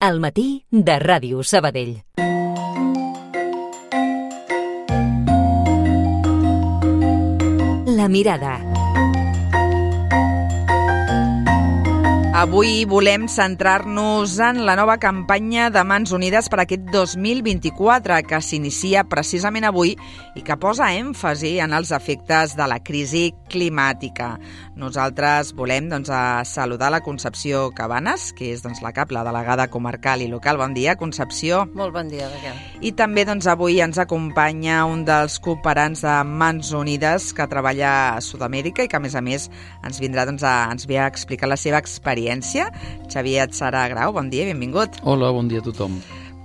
Al matí de Ràdio Sabadell. La mirada. Avui volem centrar-nos en la nova campanya de Mans Unides per aquest 2024, que s'inicia precisament avui i que posa èmfasi en els efectes de la crisi climàtica. Nosaltres volem saludar la Concepció Cabanes, que és la CAP, la delegada comarcal i local. Bon dia, Concepció. Molt bon dia, Raquel. I també avui ens acompanya un dels cooperants de Mans Unides que treballa a Sud-amèrica i que, a més, ens vindrà ens ve a explicar la seva experiència. Xavier Atzara Grau, bon dia, benvingut. Hola, bon dia a tothom.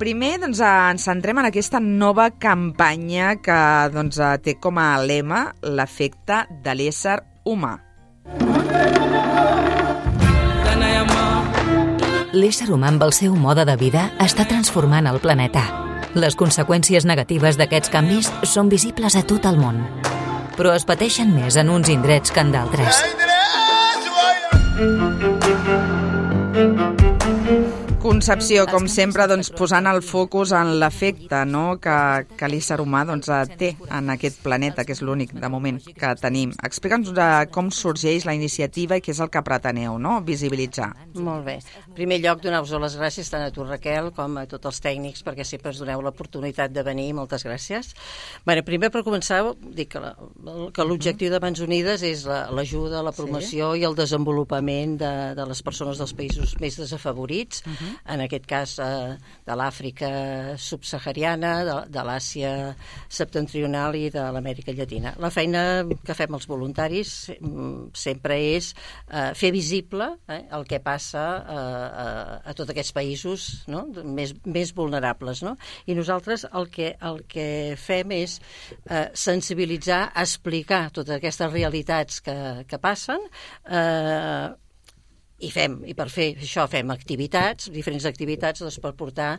Primer, ens centrem en aquesta nova campanya que té com a lema l'efecte de l'ésser humà. L'ésser humà amb el seu mode de vida està transformant el planeta. Les conseqüències negatives d'aquests canvis són visibles a tot el món, però es pateixen més en uns indrets que en d'altres. Concepció, com sempre, posant el focus en l'efecte que l'ésser humà té en aquest planeta, que és l'únic, de moment, que tenim. Explica'ns com sorgeix la iniciativa i què és el que preteneu, visibilitzar. Molt bé. En primer lloc, donar-vos les gràcies tant a tu, Raquel, com a tots els tècnics, perquè sempre ens doneu l'oportunitat de venir. Moltes gràcies. Primer, per començar, dic que l'objectiu de Mans Unides és l'ajuda, la promoció i el desenvolupament de les persones dels països més desafavorits, en aquest cas de l'Àfrica subsahariana, de l'Àsia septentrional i de l'Amèrica Llatina. La feina que fem els voluntaris sempre és fer visible el que passa a tots aquests països més vulnerables. I nosaltres el que fem és sensibilitzar, explicar totes aquestes realitats que passen, i per fer això fem activitats, diferents activitats per portar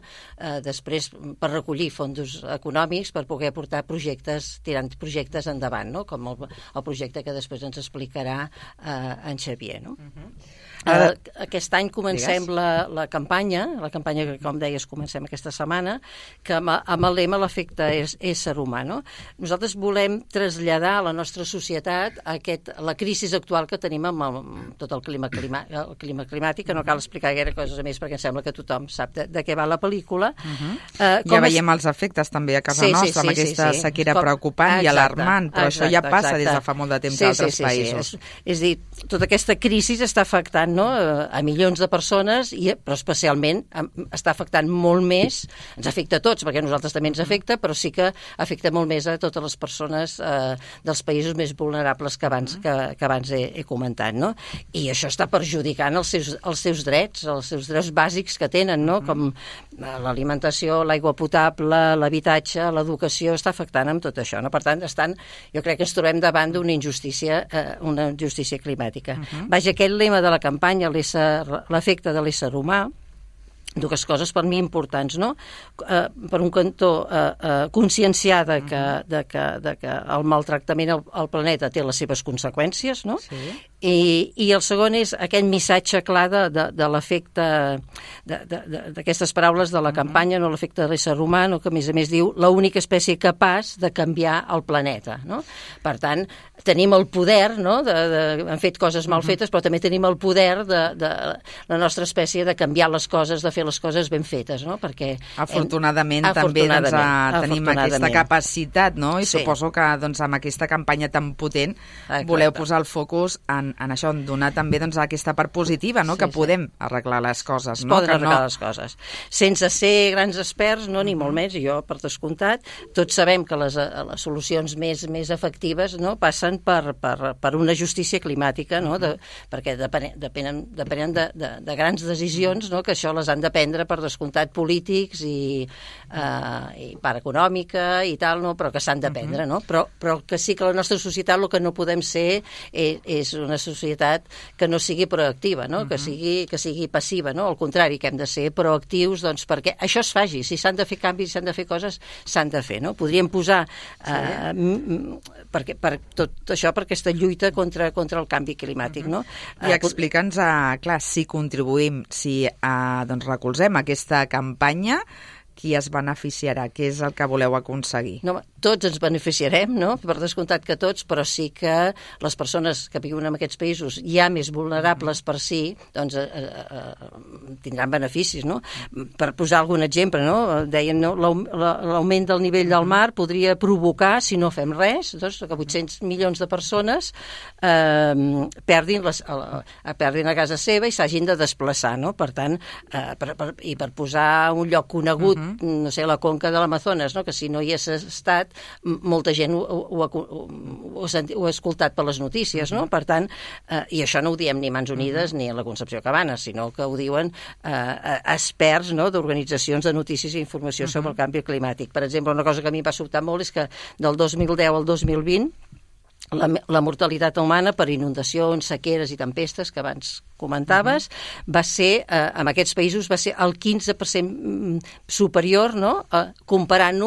després, per recollir fons econòmics, per poder portar tirant projectes endavant, com el projecte que després ens explicarà en Xavier. Aquest any comencem la campanya que, com deies, comencem aquesta setmana, que amb el lema l'efecte ésser humà. Nosaltres volem traslladar a la nostra societat la crisi actual que tenim amb tot el clima climàtic, que no cal explicar gaire coses més perquè em sembla que tothom sap de què va la pel·lícula. Ja veiem els efectes també a casa nostra, amb aquesta sequera preocupant i alarmant, però això ja passa des de fa molt de temps a altres països. És a dir, tota aquesta crisi està afectant a milions de persones, però especialment està afectant molt més, ens afecta a tots, perquè a nosaltres també ens afecta, però sí que afecta molt més a totes les persones dels països més vulnerables que abans he comentat. I això està perjudicant els seus drets bàsics que tenen, com l'alimentació, l'aigua potable, l'habitatge, l'educació, està afectant amb tot això. Per tant, jo crec que ens trobem davant d'una injustícia climàtica. Vaja, aquest lema de la campanya, l'efecte de l'ésser humà, dues coses per mi importants, per un cantó conscienciar que el maltractament al planeta té les seves conseqüències, i el segon és aquest missatge clar de l'efecte d'aquestes paraules de la campanya, l'efecte de l'ésser humà, que a més diu l'única espècie capaç de canviar el planeta. Per tant, tenim el poder, hem fet coses mal fetes, però també tenim el poder de la nostra espècie de canviar les coses, de fer les coses ben fetes, perquè... Afortunadament també tenim aquesta capacitat, i suposo que amb aquesta campanya tan potent voleu posar el focus en això, en donar també aquesta part positiva, que podem arreglar les coses. Poden arreglar les coses. Sense ser grans experts, ni molt més, jo per descomptat, tots sabem que les solucions més efectives passen per una justícia climàtica, perquè depenen de grans decisions, que això les han de prendre per descomptat polítics i part econòmica i tal, però que s'han de prendre, però que sí que la nostra societat el que no podem ser és una una societat que no sigui proactiva, no? Que sigui passiva, no? Al contrari, que hem de ser proactius, doncs, perquè això es faci. Si s'han de fer canvis, s'han de fer coses, s'han de fer, no? Podríem posar per tot això, per aquesta lluita contra el canvi climàtic, no? I explica'ns, clar, si contribuïm, si doncs recolzem aquesta campanya, qui es beneficiarà? Què és el que voleu aconseguir? No, tots ens beneficiarem, no? Per descomptat que tots, però sí que les persones que viuen en aquests països ja més vulnerables per si, doncs tindran beneficis, no? Per posar algun exemple, no? Deien, no? L'augment del nivell del mar podria provocar, si no fem res, doncs, que 800 milions de persones perdin a casa seva i s'hagin de desplaçar, no? Per tant, i per posar un lloc conegut, no sé, la conca de l'Amazones, no? Que si no hi hagués estat, molta gent ho ha escoltat per les notícies, no? Per tant, i això no ho diem ni Mans Unides ni a la Concepció Cabanes, sinó que ho diuen experts, no? D'organitzacions de notícies i informació sobre el canvi climàtic. Per exemple, una cosa que a mi em va sobtar molt és que del 2010 al 2020 la mortalitat humana per inundacions, sequeres i tempestes, que abans comentaves, va ser, en aquests països, va ser el 15% superior, no? Comparant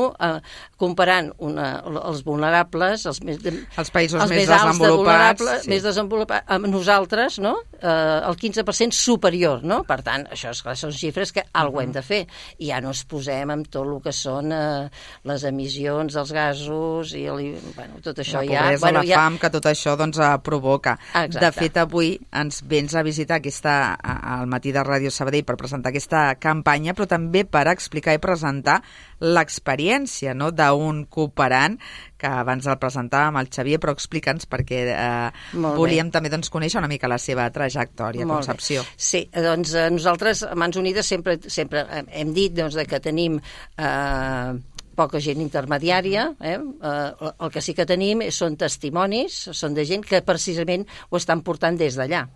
els vulnerables, els països més desenvolupats, més desenvolupats, amb nosaltres, no? El 15% superior, no? Per tant, això són xifres que alguna hem de fer. I ja no ens posem amb tot el que són les emissions dels gasos i tot això. La pobresa, la fam, que tot això doncs provoca. Exacte. De fet, avui ens vens a visitar al matí de Ràdio Sabadell per presentar aquesta campanya, però també per explicar i presentar l'experiència, no?, d'un cooperant que abans el presentàvem, el Xavier, però explica'ns perquè volíem també conèixer una mica la seva trajectòria, Concepció. Sí, doncs nosaltres a Mans Unides sempre hem dit que tenim poca gent intermediària, el que sí que tenim són testimonis, són de gent que precisament ho estan portant des d'allà,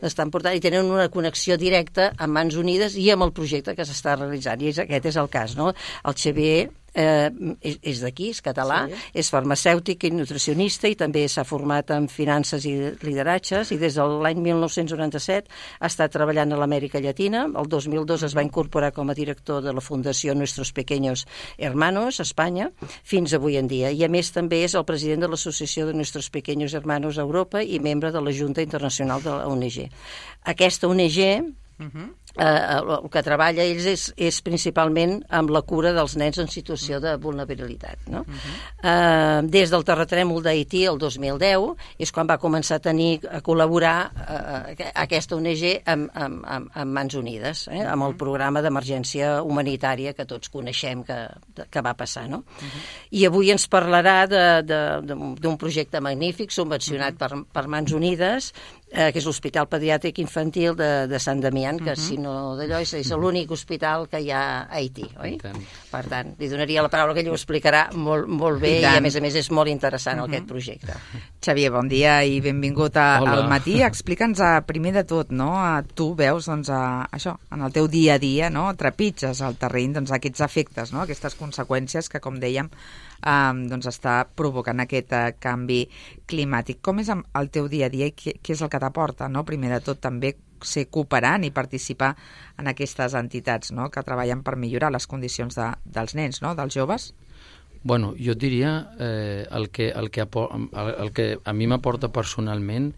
l'estan portant i tenen una connexió directa amb Mans Unides i amb el projecte que s'està realitzant, i aquest és el cas, no? El Xavier és d'aquí, és català, és farmacèutic i nutricionista i també s'ha format en finances i lideratges i des de l'any 1997 ha estat treballant a l'Amèrica Llatina. El 2002 es va incorporar com a director de la Fundació Nuestros Pequeños Hermanos a Espanya fins avui en dia, i a més també és el president de l'Associació de Nuestros Pequeños Hermanos a Europa i membre de la Junta Internacional de la ONG. Aquesta ONG el que treballa ells és principalment amb la cura dels nens en situació de vulnerabilitat, no? Des del terratrèmol d'Haití el 2010 és quan va començar a col·laborar aquesta ONG amb Mans Unides, amb el programa d'emergència humanitària que tots coneixem que va passar, no? I avui ens parlarà d'un projecte magnífic subvencionat per Mans Unides, que és l'Hospital Pediàtric Infantil de Sant Damián, que si no d'allò és l'únic hospital que hi ha a Haití, oi? Per tant, li donaria la paraula, que ell ho explicarà molt bé i a més és molt interessant aquest projecte. Xavier, bon dia i benvingut al matí. Explica'ns primer de tot, no? Tu veus això, en el teu dia a dia, no? Trepitges al terreny aquests efectes, no? Aquestes conseqüències que, com dèiem, està provocant aquest canvi climàtic. Com és el teu dia a dia i què és el que t'aporta, no? Primer de tot també ser cooperant i participar en aquestes entitats, no?, que treballen per millorar les condicions dels nens, no?, dels joves. Bueno, jo diria el que a mi m'aporta personalment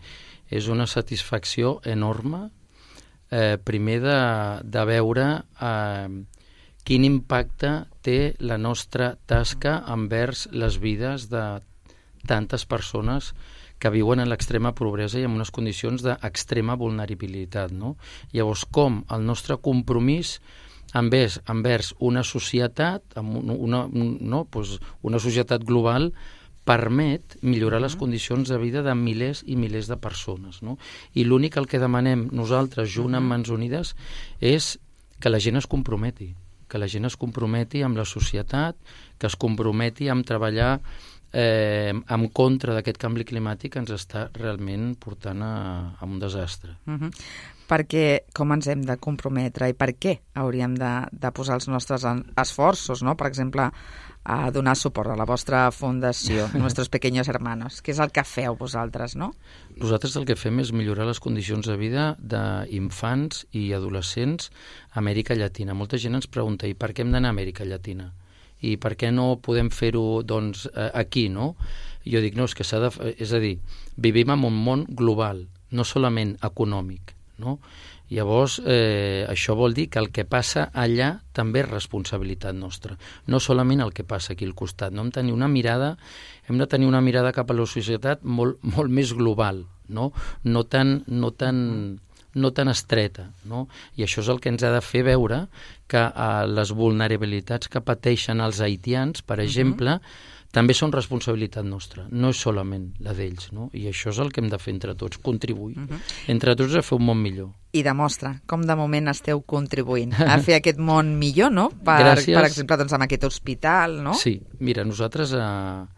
és una satisfacció enorme, primer de veure quin impacte té la nostra tasca envers les vides de tantes persones que viuen en l'extrema pobresa i en unes condicions d'extrema vulnerabilitat, no? Llavors, com el nostre compromís envers una societat, una societat global, permet millorar les condicions de vida de milers i milers de persones, no? I l'únic que demanem nosaltres, junt amb Mans Unides, és que la gent es comprometi, amb la societat, que es comprometi amb treballar en contra d'aquest canvi climàtic que ens està realment portant a un desastre. Perquè com ens hem de comprometre i per què hauríem de posar els nostres esforços, no? Per exemple, a donar suport a la vostra fundació, Nuestros Pequeños Hermanos. Què és el que feu vosaltres, no? Nosaltres el que fem és millorar les condicions de vida d'infants i adolescents a Amèrica Llatina. Molta gent ens pregunta, i per què hem d'anar a Amèrica Llatina? I per què no podem fer-ho doncs, aquí, no? Jo dic, no, és que és a dir, vivim en un món global, no solament econòmic, no? Llavors, això vol dir que el que passa allà també és responsabilitat nostra, no solament el que passa aquí al costat. No? Hem de tenir una mirada cap a la societat molt, molt més global, no tan estreta. No? I això és el que ens ha de fer veure que les vulnerabilitats que pateixen els haitians, per exemple, també són responsabilitat nostra, no és solament la d'ells, no? I això és el que hem de fer entre tots, contribuir entre tots a fer un món millor. I demostra com de moment esteu contribuint a fer aquest món millor, no? Per exemple, doncs, amb aquest hospital, no? Sí, mira, nosaltres a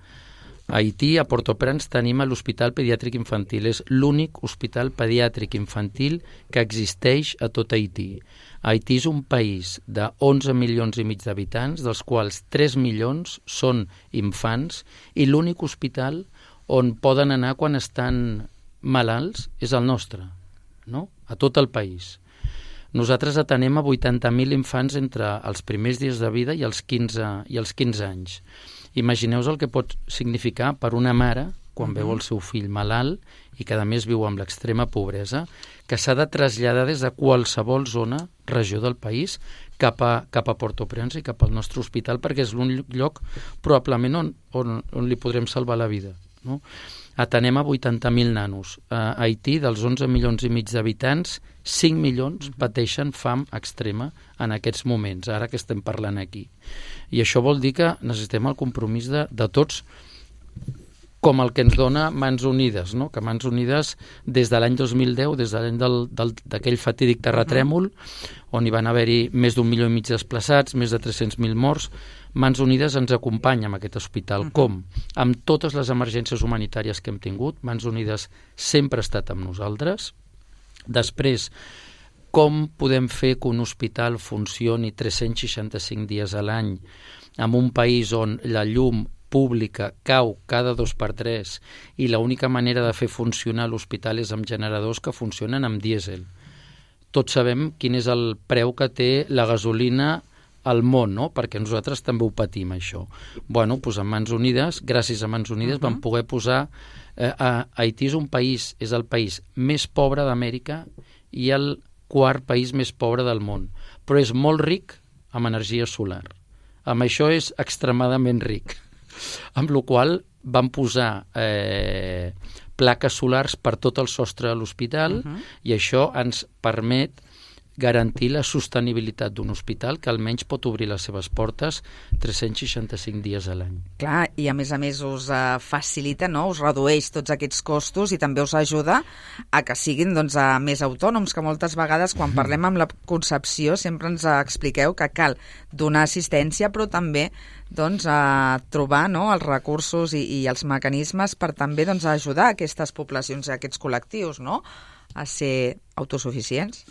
Haití, a Port-au-Prince, tenim l'Hospital Pediàtric Infantil. És l'únic hospital pediàtric infantil que existeix a tot Haití. Haití és un país de 11 milions i mig d'habitants, dels quals 3 milions són infants, i l'únic hospital on poden anar quan estan malalts és el nostre, no? A tot el país. Nosaltres atenem a 80.000 infants entre els primers dies de vida i els 15 anys. Imagineu-vos el que pot significar per una mare, quan veu el seu fill malalt i que a més viu amb l'extrema pobresa, que s'ha de traslladar des de qualsevol zona, regió del país, cap a Port-au-Prince i cap al nostre hospital, perquè és l'únic lloc probablement on li podrem salvar la vida. No? Atenem a 80.000 nanos. A Haití, dels 11 milions i mig d'habitants, 5 milions pateixen fam extrema en aquests moments, ara que estem parlant aquí. I això vol dir que necessitem el compromís de tots, com el que ens dona Mans Unides, no? Que Mans Unides, des de l'any 2010, des de l'any d'aquell fatídic terratrèmol, on hi van haver-hi més d'1,5 milió desplaçats, més de 300.000 morts, Mans Unides ens acompanya en aquest hospital. Com? Amb totes les emergències humanitàries que hem tingut, Mans Unides sempre ha estat amb nosaltres. Després, com podem fer que un hospital funcioni 365 dies a l'any en un país on la llum pública cau cada 2x3 i l'única manera de fer funcionar l'hospital és amb generadors que funcionen amb dièsel. Tots sabem quin és el preu que té la gasolina al món, no? Perquè nosaltres també ho patim, això. Bueno, doncs amb Mans Unides, gràcies a Mans Unides, vam poder posar... Haití és el país més pobre d'Amèrica i el quart país més pobre del món, però és molt ric amb energia solar. Amb això és extremadament ric. Amb la qual vam posar plaques solars per tot el sostre de l'hospital i això ens permet garantir la sostenibilitat d'un hospital que almenys pot obrir les seves portes 365 dies a l'any. Clar, i a més us facilita, no? Us redueix tots aquests costos i també us ajuda a que siguin doncs, més autònoms, que moltes vegades quan parlem amb la Concepció sempre ens expliqueu que cal donar assistència però també doncs, a trobar, no, els recursos i els mecanismes per també doncs, ajudar aquestes poblacions, aquests col·lectius, no?, a ser autosuficients.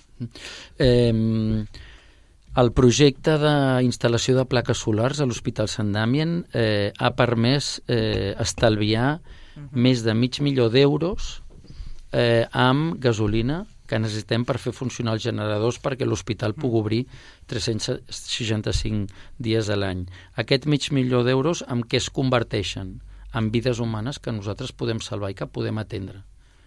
El projecte d'instal·lació de plaques solars a l'Hospital Sant Damien ha permès estalviar més de $500.000 amb gasolina que necessitem per fer funcionar els generadors perquè l'hospital pugui obrir 365 dies a l'any. Aquest $500.000 en què es converteixen? En vides humanes que nosaltres podem salvar i que podem atendre.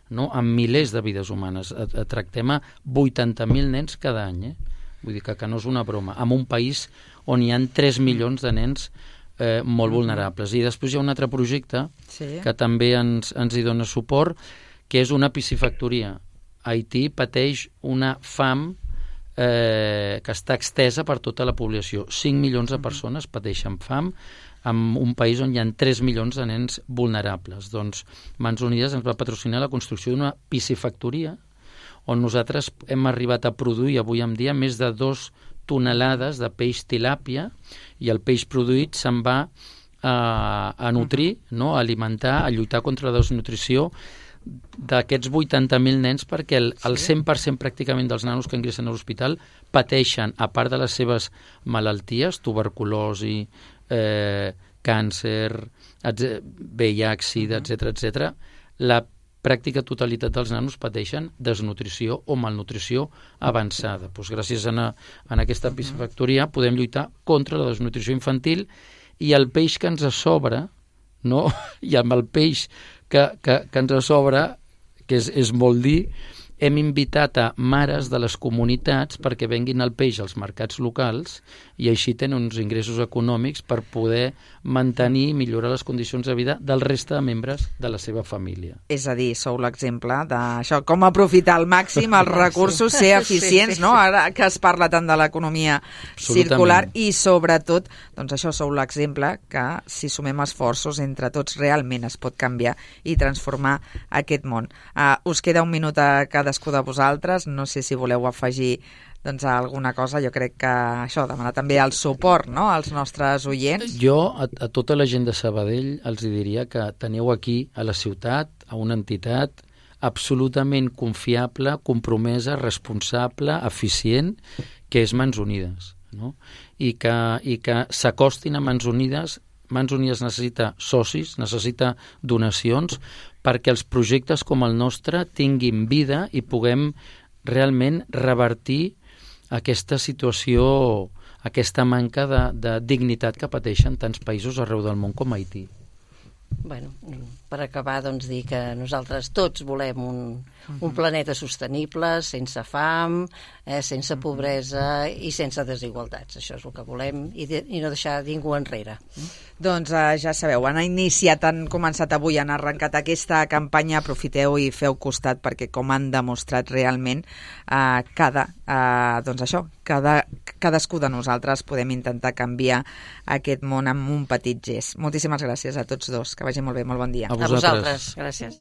No? Amb milers de vides humanes. Tractem a 80.000 nens cada any. Vull dir que no és una broma. En un país on hi ha 3 milions de nens molt vulnerables. I després hi ha un altre projecte que també ens hi dona suport, que és una piscifactoria. Haití pateix una fam que està extesa per tota la població. 5 milions de persones pateixen fam en un país on hi ha 3 milions de nens vulnerables. Doncs Mans Unides ens va patrocinar la construcció d'una piscifactoria on nosaltres hem arribat a produir avui en dia més de 2 tonelades de peix tilàpia i el peix produït se'n va a nutrir, no? A alimentar, a lluitar contra la desnutrició d'aquests 80.000 nens, perquè el 100% pràcticament dels nanos que ingressen a l'hospital pateixen, a part de les seves malalties, tuberculosi, càncer, VIH, SIDA, etc., la pràctica totalitat dels nanos pateixen desnutrició o malnutrició avançada. Doncs gràcies a aquesta piscifactoria podem lluitar contra la desnutrició infantil i el peix que ens sobra, no? I amb el peix que ens sobra, que és molt dir, hem invitat a mares de les comunitats perquè venguin el peix als mercats locals i així tenen uns ingressos econòmics per poder mantenir i millorar les condicions de vida del reste de membres de la seva família. És a dir, sou l'exemple d'això, com aprofitar al màxim els recursos, ser eficients, no? Ara que es parla tant de l'economia circular i sobretot, doncs això, sou l'exemple que si sumem esforços entre tots realment es pot canviar i transformar aquest món. Us queda un minut a cadascú de vosaltres, no sé si voleu afegir doncs alguna cosa. Jo crec que això, demanar també el suport, no?, als nostres oients. Jo a tota la gent de Sabadell els diria que teniu aquí a la ciutat, a una entitat absolutament confiable, compromesa, responsable, eficient, que és Mans Unides, no? I que s'acostin a Mans Unides. Mans Unides necessita socis, necessita donacions perquè els projectes com el nostre tinguin vida i puguem realment revertir aquesta situació, aquesta manca de dignitat que pateixen tants països arreu del món com Haití. Bueno, per acabar, doncs, dir que nosaltres tots volem un planeta sostenible, sense fam, sense pobresa i sense desigualtats. Això és el que volem i no deixar ningú enrere. Doncs ja sabeu, han començat avui, han arrencat aquesta campanya, aprofiteu i feu costat perquè, com han demostrat realment, cadascú de nosaltres podem intentar canviar aquest món amb un petit gest. Moltíssimes gràcies a tots dos, que vagi molt bé, molt bon dia. A vosaltres. Gràcies.